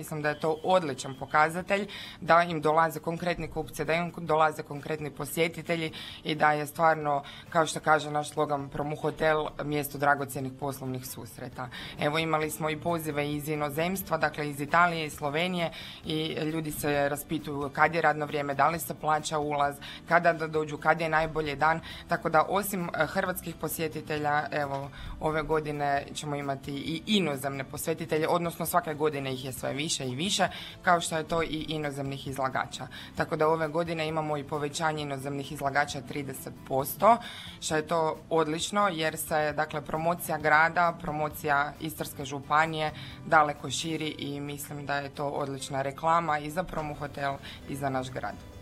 Mislim da je to odličan pokazatelj, da im dolaze konkretni kupci, da im dolaze konkretni posjetitelji i da je stvarno, kao što kaže naš slogan Promu Hotel, mjesto dragocjenih poslovnih susreta. Evo, imali smo i pozive iz inozemstva, dakle iz Italije i Slovenije, i ljudi se raspituju kad je radno vrijeme, da li se plaća ulaz, kada da dođu, kad je najbolji dan. Tako da osim hrvatskih posjetitelja, evo, ove godine ćemo imati i inozemne posjetitelje, odnosno svake godine ih je sve više i više, kao što je to i inozemnih izlagača. Tako da ove godine imamo i povećanje inozemnih izlagača 30%, što je to odlično jer se, dakle, promocija grada, promocija Istarske županije daleko širi i mislim da je to odlična reklama i za Promu Hotel i za naš grad.